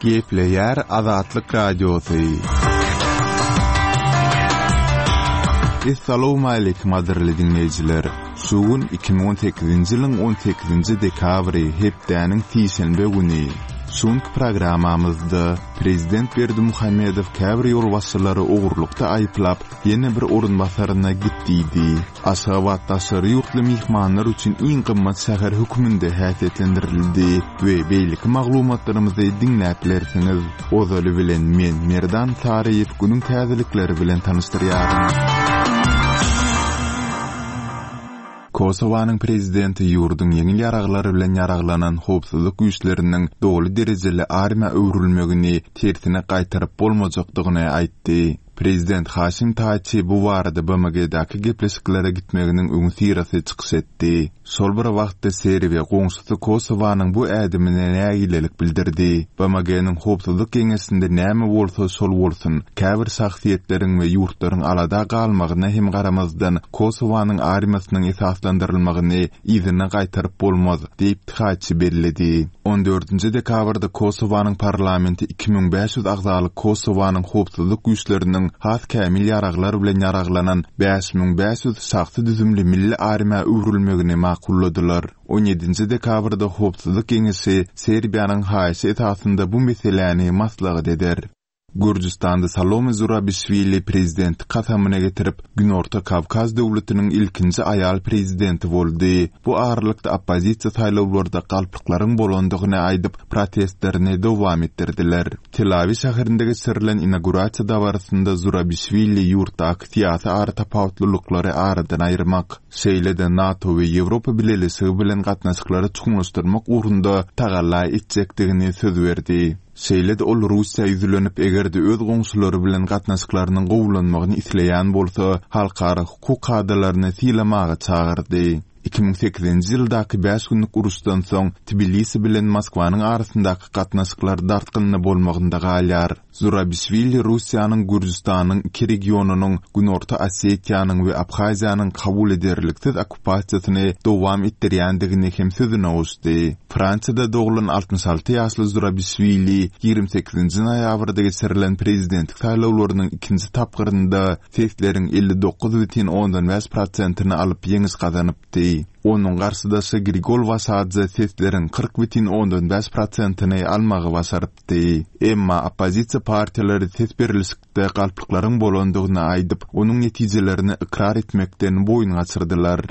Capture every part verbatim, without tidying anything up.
Gepleýär Azatlyk Radiosy. Essalawmaleýkim gadyrly diňleýjiler! Şu gün iki müň on sekizinji ýylyň on sekizinji dekabry, hepdäniň sişenbe güni. Şu günki programmamyzda Prezident Berdimuhamedow käbir ýolbaşçylary ogurlykda aýyplap, ýene bir orunbasaryna git diýdi. Aşgabat daşary ýurtly myhmanlar üçin iň gymmat şäher hökmünde häsiýetlendirildi we beýleki maglumatlarymyzy diňläp bilersiňiz. Ozaly bilen men, Merdan Saryýew günüň täzelikleri bilen tanyşdyrýaryn. Kosowanyň prezidenti ýurduň ýeňil ýaraglar bilen ýaraglanan howpsuzlyk güýçleriniň doly derejeli armiýa öwrülmegini tersine gaýtaryp bolmajakdygyny aýtdy. Prezident Haşim Taçi bu barada B M G-däki gepleşiklere gitmeginiň öňüsyrasy çykyş etdi. Şol bir wagtda Serbiýa goňşusy Kosowanyň bu ädimine nägilelik bildirdi. B M G-niň howpsuzlyk geňeşinde näme bolsa şol bolsun, käbir şahsyýetleriň we ýurtlaryň alada galmagyna hem garamazdan Kosowanyň armiýasynyň esaslandyrylmagyny yzyna gaýtaryp bolmaz, diýip Taçi belledi. On dördünji dekabrda Kosowanyň parlamenti iki müň bäş ýüz agzalyk Kosowanyň howpsuzlyk güýçleriniň has kämil ýaraglar bilen ýaraglanan bäş müň bäş ýüz şahsy düzümli milli armiýa öwrülmegini makulladylar. On ýedinji dekabrda Howpsuzlyk Geňeşi Serbiýanyň haýyşy esasynda bu meseläni maslahat eder. Gürjüstanda Salome Zurabişwili prezident kasamyna getirip, Günorta Kawkaz döwletiniň ilkinji aýal prezidenti boldy. Bu aralykda oppozisiýa saýlawlarda galplyklaryň bolandygyny aýdyp, protestlerini dowam etdirdiler. Telawi şäherinde geçirilen inaugurasiýa dabarasynda Zurabişwili ýurtdaky syýasy aratapawutlylyklary aradan aýyrmak, şeýle-de NATO we Ýewropa Bileleşigi bilen gatnaşyklary çuňlaşdyrmak ugrunda tagalla etjekdigini söz berdi. Şeýle-de ol Russiýa ýüzlenip, eger-de öz goňşulary bilen gatnaşyklarynyň gowulanmagyny isleýän bolsa, halkara hukuk kadalaryny sylamaga çagyrdy. iki müň sekizinji ýyldaky bäş günlük uruşdan soň Tbilisi bilen Moskwanyň arasyndaky gatnaşyklar dartgynly bolmagynda galýar. Zurabişwili Russiýanyň Gürjüstanyň iki regionynyň Günorta Osetiýanyň we Abhaziýanyň kabul ederliksiz okkupasiýasyny dowam etdirýändigini hem sözüne goşdy. Fransiýada doglan altmyş alty ýaşly Zurabişwili ýigrimi sekizinji noýabrda geçirilen prezidentlik saýlawlarynyň ikinji tapgyrynda sesleriň elli dokuz bütin ondan bäş prosentini alyp ýeňiş gazanypdy. Onuň garşydaşy Grigol Waşadze sesleriň kyrk bütin ondan bäş prosentini almagy başarypdy. Emma oppozisiýa partiýalary ses berilişikde galplyklaryň bolandygyny aýdyp, onuň netijelerini ykrar etmekden boýun gaçyrdylar.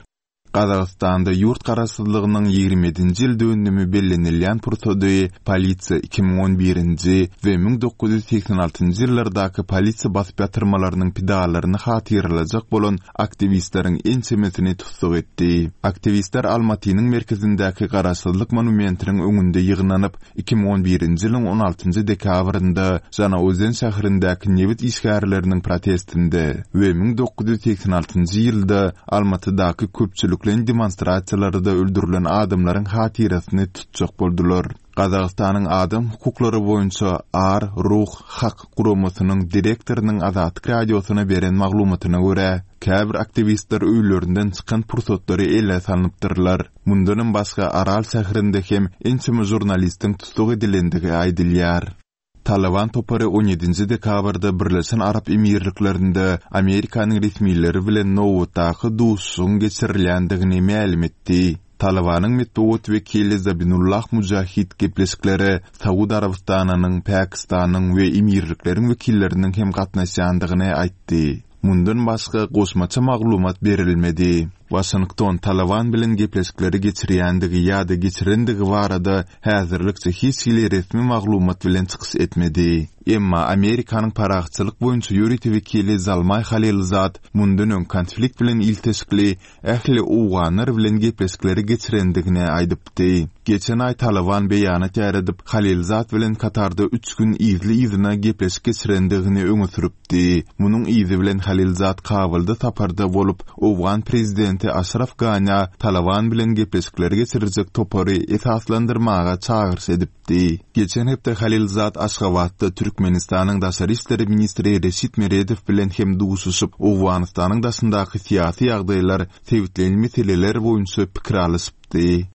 Gazagystanda ýurt garaşsyzlygynyň ýigrimi ýedinji ýyl dönümi bellenilýän pursady polisiýa iki müň on birinji we müň dokuz ýüz segsen altynjy ýyllardaky polisiýa basyp ýatyrmalarynyň pidalaryny hatyralajak bolan aktiwistleriň ençemesini tussag etdi. Aktiwistler Almatynyň merkezindäki garaşsyzlyk monumentiniň öňünde ýygnanyp, iki müň on birinji ýylyň on altynjy dekabrynda Žanaozen şäherindäki nebit işgärleriniň protestinde we müň dokuz ýüz segsen altynjy ýylda Almatydaky köpçülikleýin demonstrasiýalarda öldürilen adamlaryň hatyrasyny tutjak boldular. Gazagystanyň adam hukuklary boýunça Ar Ruh Hak guramasynyň direktorynyň Azatlyk radiosyna beren maglumatyna görä, käbir aktiwistler öýlerinden çykan pursatlary ele salnypdyrlar. Mundanam başga Aral şäherinde hem ençeme žurnalistiň tussag edilendigi aýdylýar. Taliban topary on ýedinji dekabrda Birleşen Arap Emirliklerinde Amerikanyň resmileri bilen nobatdaky duşuşygyň geçirilýändigini mälim etdi. Talibanyň metbugat wekili Zabinullah Mujahid gepleşiklere Saud Arabystanynyň, Pakistanyň we Emirlikleriň wekilleriniň hem gatnaşýandygyny aýtdy. Mundan başga goşmaça maglumat berilmedi. Washington Taliban bilen gepleşikleri geçirýändigi ýa-da geçirendigi barada häzirlikçe hiç hili resmi maglumat bilen çykyş etmedi. Emma Amerikanyň parahatçylyk boýunça ýörite wekili Zalmay Halilzad mundan öň konflikt bilen ilteşikli ähli owganlar bilen gepleşikleri geçirendigini aýdypdy. Geçen aý Taliban beýanat ýaýradyp, Halilzad bilen Katarda üç gün yzly-yzyna gepleşik geçirendigini öňe sürüpdi. Munuň yzy bilen Halilzad Kabulda saparda bolup, owgan prezidenti Aşraf Gani Taliban bilen gepleşikleri geçirjek topary esaslandyrmaga çagyryş edipdi. Geçen hepde Halilzad Aşgabatda Türkmenistanyň Daşary işler ministri Reşit Meredow bilen hem duşuşyp, Owganystanyň daşyndaky syýasy ýagdaýlar, sebitleýin meseleler boýunça pikir alyşypdy.